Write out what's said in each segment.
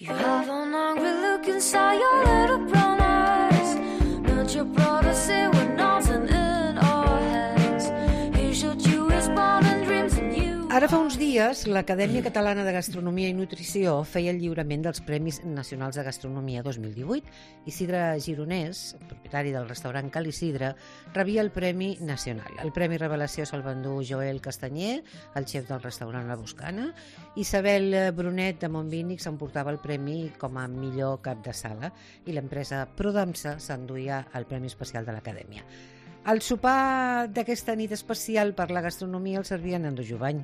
You have an angry look inside your little brown eyes. Not your brother say we're nothing in our hands. He showed you his bond and dreams and you. Ara fa uns dies, l'Acadèmia Catalana de Gastronomia i Nutrició feia el lliurament dels Premis Nacionals de Gastronomia 2018. Isidre Gironès, propietari del restaurant Cal Isidre, rebia el Premi Nacional. El Premi Revelació se'l va endur Joel Castanyer, el xef del restaurant La Boscana. Isabel Brunet de Montbínic s'emportava el premi com a millor cap de sala i l'empresa Prodamsa s'enduia el Premi Especial de l'Acadèmia. El sopar d'aquesta nit especial per la gastronomia el servien en Jovany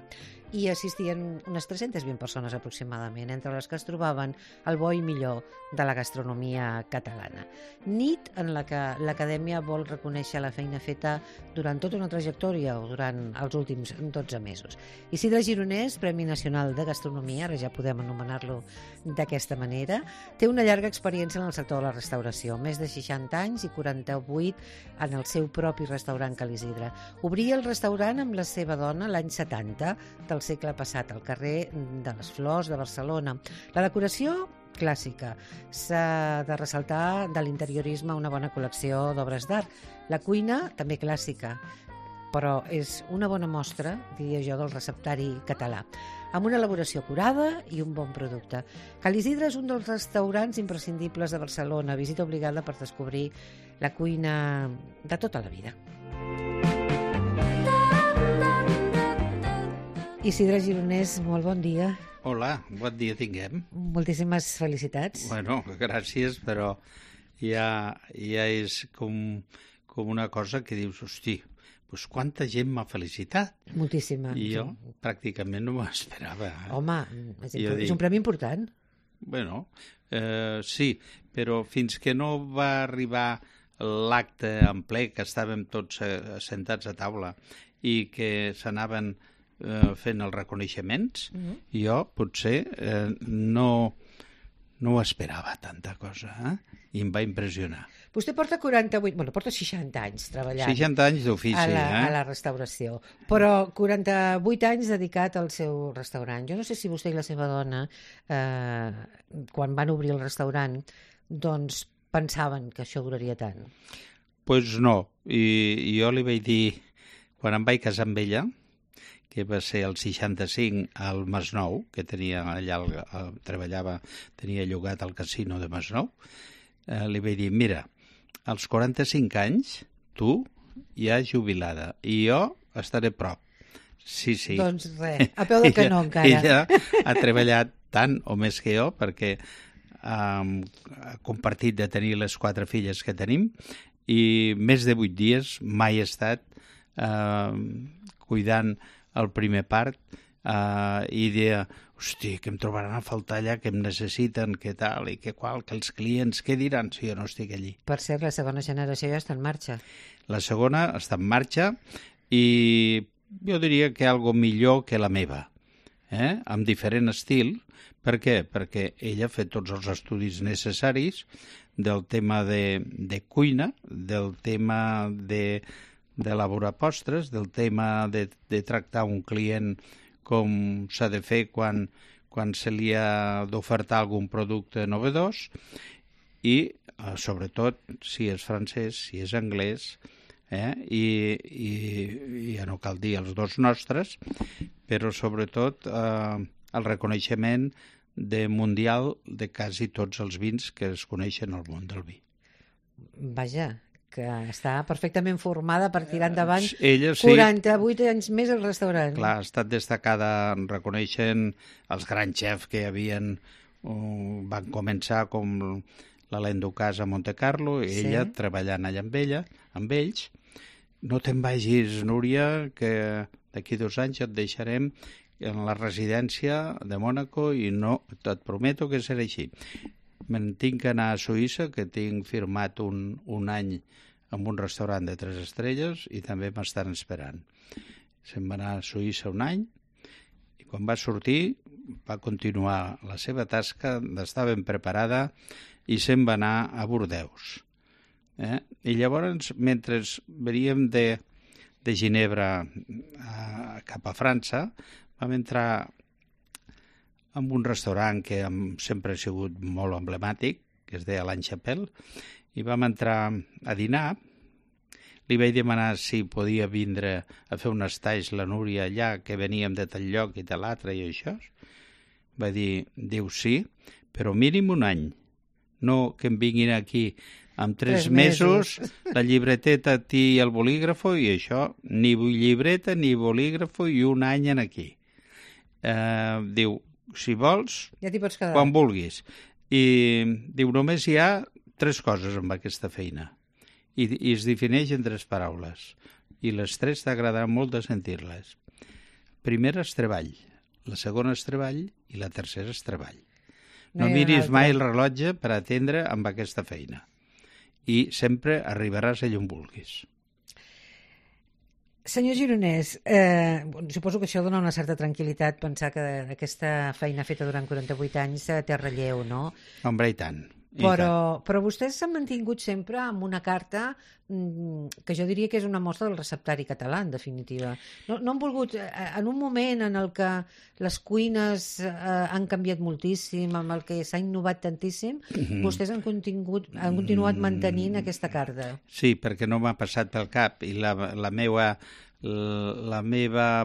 i assistien unes 320 persones aproximadament, entre les que es trobaven el bo i millor de la gastronomia catalana. Nit en la que l'Acadèmia vol reconèixer la feina feta durant tota una trajectòria o durant els últims 12 mesos. Isidre Gironès, Premi Nacional de Gastronomia, ara ja podem anomenar-lo d'aquesta manera, té una llarga experiència en el sector de la restauració, més de 60 anys i 48 en el seu propi restaurant Cal Isidre. Obria el restaurant amb la seva dona l'any 70 del segle passat, al carrer de les Flors de Barcelona. La decoració clàssica. S'ha de ressaltar de l'interiorisme una bona col·lecció d'obres d'art. La cuina també clàssica, però és una bona mostra, diria jo, del receptari català, amb una elaboració acurada i un bon producte. Cal Isidre és un dels restaurants imprescindibles de Barcelona, visita obligada per descobrir la cuina de tota la vida. Isidre Gironès, molt bon dia. Hola, bon dia tinguem. Moltíssimes felicitats. Bueno, gràcies, però ja és com una cosa que dius, hosti, doncs quanta gent m'ha felicitat. Moltíssima. I jo pràcticament no m'ho esperava. Home, és un premi important. Bueno, sí, però fins que no va arribar l'acte en ple, que estàvem tots sentats a taula i que s'anaven fent els reconeixements, jo potser no ho esperava tanta cosa, i em va impressionar. Vostè porta 48, porta 60 anys treballant 60 anys d'ofici, a la restauració, però 48 anys dedicat al seu restaurant. Jo no sé si vostè i la seva dona, quan van obrir el restaurant, doncs pensaven que això duraria tant. Doncs no, i jo li vaig dir, quan em vaig casar amb ella, que va ser el 65 al Masnou, que tenia allà, treballava, tenia llogat al casino de Masnou, li vaig dir, mira, als 45 anys, tu ja jubilada, i jo estaré prop. Sí. Doncs res, a peu de canó encara. Ella ha treballat tant o més que jo, perquè ha compartit de tenir les 4 filles que tenim, i més de 8 dies mai he estat cuidant el primer part i deia, hosti, que em trobaran a faltar allà, que em necessiten, que tal, i que qual, que els clients, què diran si jo no estic allí? Per cert, la segona generació ja està en marxa. La segona està en marxa i jo diria que algo millor que la meva, amb diferent estil. Per què? Perquè ella ha fet tots els estudis necessaris del tema de cuina, del tema d'elaborar postres, del tema de tractar un client com s'ha de fer quan se li ha d'ofertar algun producte novedós i, sobretot, si és francès, si és anglès, i ja no cal dir els dos nostres, però sobretot el reconeixement mundial de quasi tots els vins que es coneixen al món del vi. Vaja, que està perfectament formada per tirar endavant ella, sí, 48 anys més al restaurant. Clar, ha estat destacada reconeixent els grans xefs que van començar, com l'Alain Ducasse a Montecarlo, i ella treballant allà amb ells. No te'n vagis, Núria, que d'aquí 2 anys et deixarem en la residència de Mònaco i no, et prometo que serà així. Me'n tinc que anar a Suïssa, que tinc firmat un any amb un restaurant de 3 estrelles i també m'estan esperant. Se'n va anar a Suïssa un any i quan va sortir va continuar la seva tasca, estava ben preparada i se'n va anar a Bordeus. I llavors, mentre veníem de Ginebra cap a França, vam entrar en un restaurant que sempre ha sigut molt emblemàtic, que es deia l'Anne Chapelle, i vam entrar a dinar. Li vaig demanar si podia vindre a fer un estatge la Núria allà, que veníem de tal lloc i de l'altre i això. Va dir, diu sí, però mínim un any. No que em vinguin aquí amb 3 mesos, la llibreteta i el bolígrafo i això, ni llibreta ni bolígrafo i un any en aquí. Diu, si vols, ja t'hi pots quedar. Quan vulguis. I diu, només hi ha 3 coses amb aquesta feina. I es defineix en 3 paraules. I les 3 t'agradarà molt de sentir-les. Primera és treball, la segona és treball i la tercera és treball. No miris mai el rellotge per atendre amb aquesta feina. I sempre arribaràs allà on vulguis. Senyor Gironès, suposo que això dona una certa tranquil·litat pensar que aquesta feina feta durant 48 anys té relleu, no? Hombre, i tant. Però vostès s'han mantingut sempre amb una carta que jo diria que és una mostra del receptari català, en definitiva. No han volgut, en un moment en el que les cuines han canviat moltíssim, amb el que s'ha innovat tantíssim, vostès han continuat mantenint aquesta carta. Sí, perquè no m'ha passat pel cap, i la meva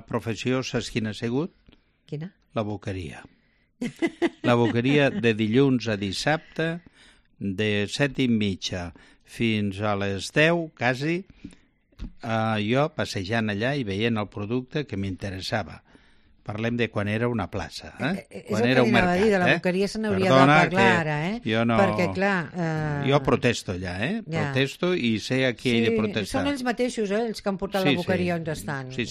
professió, saps quina ha sigut? Quina? La boqueria. La boqueria de dilluns a dissabte, de 7:30 fins a les 10, quasi, jo passejant allà i veient el producte que m'interessava. Parlem de quan era una plaça, quan era un mercat. De la boqueria se n'hauria de parlar ara, Jo no... Perquè, clar... Jo protesto allà, protesto i sé a qui he de protestar. Són ells mateixos, els que han portat la boqueria on estan. Sí,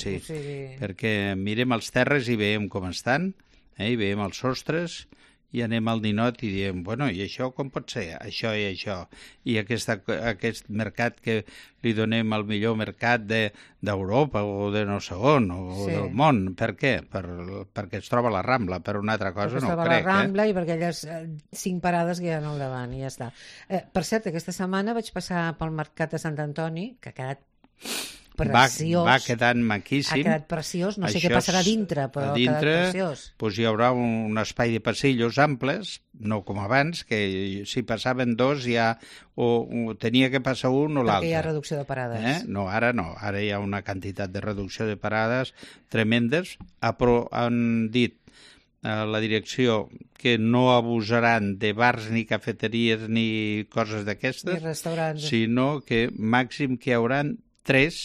perquè mirem els terres i veiem com estan, i veiem els sostres, i anem al ninot i diem, bueno, i això com pot ser? Això i això. I aquest mercat que li donem el millor mercat d'Europa o de no sé on, o del món. Per què? Perquè es troba a la Rambla, per una altra cosa no ho crec. Es troba a la Rambla i perquè aquelles 5 parades que hi ha al davant i ja està. Per cert, aquesta setmana vaig passar pel mercat de Sant Antoni, que ha quedat preciós. Va quedant maquíssim. Ha quedat preciós, no sé què passarà dintre, però ha quedat preciós. Doncs hi haurà un espai de passillos amples, no com abans, que si passaven 2 ja o tenia que passar un o l'altre. Perquè hi ha reducció de parades. No, ara hi ha una quantitat de reducció de parades tremendes. Han dit a la direcció que no abusaran de bars ni cafeteries ni coses d'aquestes, ni restaurants, sinó que màxim que hi haurà 3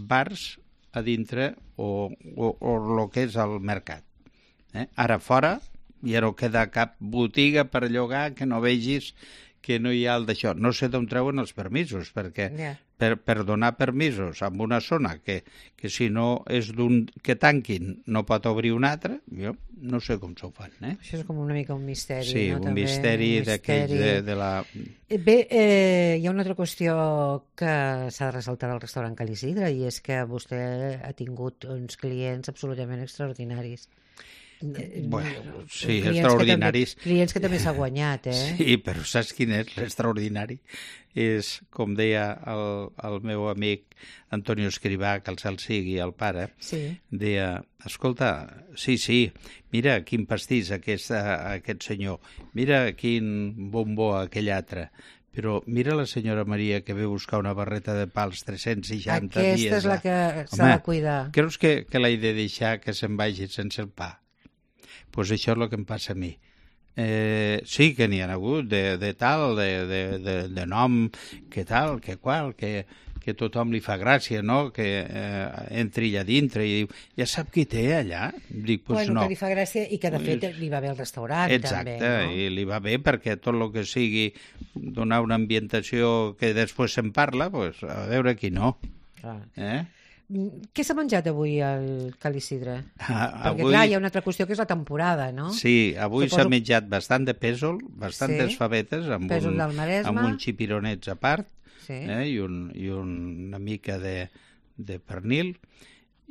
bars a dintre o el que és el mercat. Ara fora ja no queda cap botiga per llogar que no vegis que no hi ha el d'això. No sé d'on treuen els permisos, perquè per donar permisos en una zona que si no és d'un que tanquin no pot obrir un altre, jo no sé com s'ho fan. Això és com una mica un misteri. Sí, no? un misteri d'aquells de la... Bé, hi ha una altra qüestió que s'ha de ressaltar al restaurant Ca l'Isidre, i és que vostè ha tingut uns clients absolutament extraordinaris. Bueno, sí, extraordinaris. Clients que també s'ha guanyat, Sí, però saps quin és l'extraordinari? És, com deia el meu amic Antonio Escrivà, que el cel sigui, el pare, deia, escolta, sí, mira quin pastís aquest senyor, mira quin bombó aquell altre, però mira la senyora Maria que ve buscar una barreta de pa als 360 dies. Aquesta és la que s'ha de cuidar. Creus que l'he de deixar que se'n vagi sense el pa? Doncs això és el que em passa a mi. Sí que n'hi ha hagut de tal, de nom, que tal, que qual, que tothom li fa gràcia, no?, que entri allà dintre i diu, ja sap qui té allà? Dic, doncs no. Que li fa gràcia i que de fet li va bé al restaurant. Exacte, també, no? I li va bé perquè tot el que sigui donar una ambientació que després se'n parla, doncs a veure qui no. Clar. Què s'ha menjat avui al Ca l'Isidre? Perquè, clar, hi ha una altra qüestió que és la temporada, no? Sí, avui s'ha menjat bastant de pèsol, bastantes favetes, amb un xipironets a part, i una mica de pernil,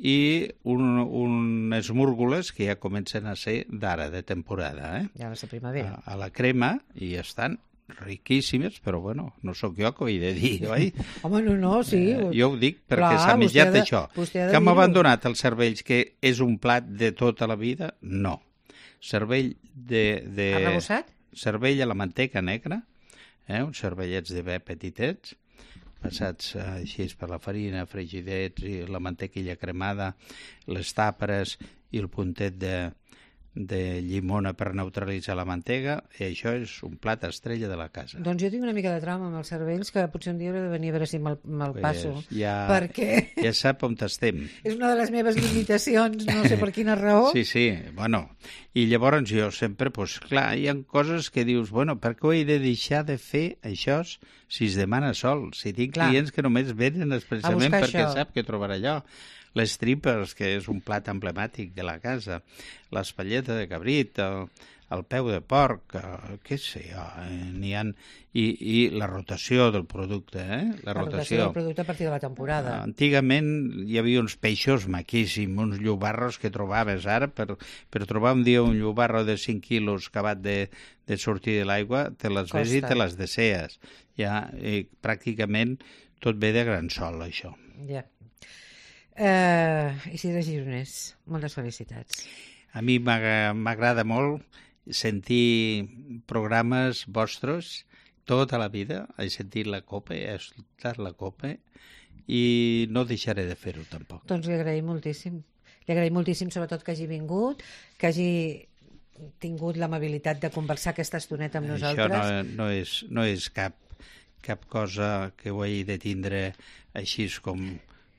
i unes múrgoles que ja comencen a ser d'ara, de temporada. Ja va ser primavera. A la crema, i estan riquíssimes, però bueno, no sóc jo que ho he de dir, oi? Home, no, sí. Jo ho dic perquè s'ha menjat això. Que hem abandonat els cervells, que és un plat de tota la vida? No. cervell Arrebossat? cervell a la manteca negra, uns cervellets de bé petitets, passats així per la farina, fregidets i la mantequilla cremada, les tàperes i el puntet de llimona per neutralitzar la mantega, i això és un plat estrella de la casa. Doncs jo tinc una mica de trauma amb els cervells, que potser un dia hauré de venir a veure si me'l passo. Perquè Ja sap on estem. és una de les meves limitacions, no sé per quina raó. Sí, bueno, i llavors jo sempre, doncs clar, hi ha coses que dius, bueno, per què ho he de deixar de fer això si es demana sol? Si tinc clients que només venen expressament perquè sap que trobarà allò. Les tripes, que és un plat emblemàtic de la casa, l'espatlleta de cabrit, el peu de porc, què sé jo, n'hi ha... I la rotació del producte, La rotació del producte a partir de la temporada. Antigament hi havia uns peixos maquíssims, uns llobarros que trobaves ara, per trobar un dia un llobarro de 5 quilos acabat de sortir de l'aigua, te les ves i te les desees. Ja, pràcticament tot ve de gran sol, això. Ja. Isidre Gironès, moltes felicitats. A mi m'agrada molt sentir programes vostres tota la vida. He sentit la COPE, he escoltat la COPE i no deixaré de fer-ho tampoc. Doncs li agraïm moltíssim. Li agraïm moltíssim sobretot que hagi vingut, que hagi tingut l'amabilitat de conversar aquesta estoneta amb nosaltres. Això no és cap cosa que ho hagi de tindre així com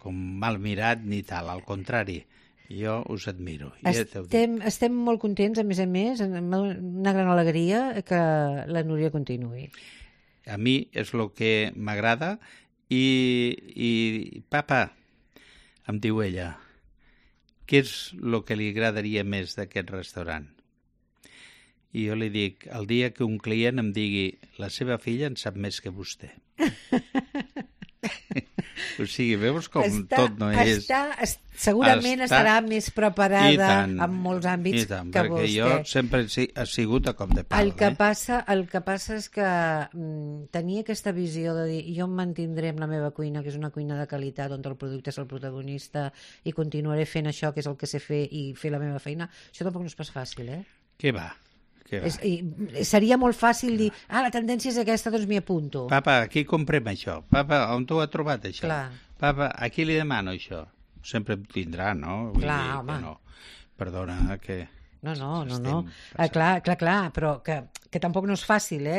mal mirat ni tal, al contrari, jo us admiro. Estem molt contents, a més, una gran alegria que la Núria continuï. A mi és el que m'agrada i papa, em diu ella, què és el que li agradaria més d'aquest restaurant? I jo li dic, el dia que un client em digui la seva filla en sap més que vostè. O sigui, veus com tot no és... Segurament estarà més preparada en molts àmbits que perquè vostè. Jo sempre he sigut a cop de pal. El que passa és que tenia aquesta visió de dir jo em mantindré amb la meva cuina, que és una cuina de qualitat on el producte és el protagonista, i continuaré fent això, que és el que sé fer, i fer la meva feina. Això tampoc no és pas fàcil, Què va? Seria molt fàcil dir, la tendència és aquesta, doncs m'hi apunto. Papa, aquí comprem això. Papa, on t'ho ha trobat això? Clar. Papa, a qui li demano això? Sempre em tindrà, no? Clar, home. No. Perdona, que... No. Clar, però que tampoc no és fàcil,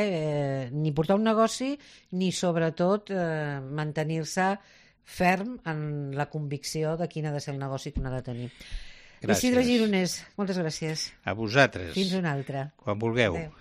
ni portar un negoci, ni sobretot mantenir-se ferm en la convicció de quin ha de ser el negoci que un ha de tenir. Gràcies. Isidre Gironès, moltes gràcies. A vosaltres. Fins una altra. Quan vulgueu. Adéu.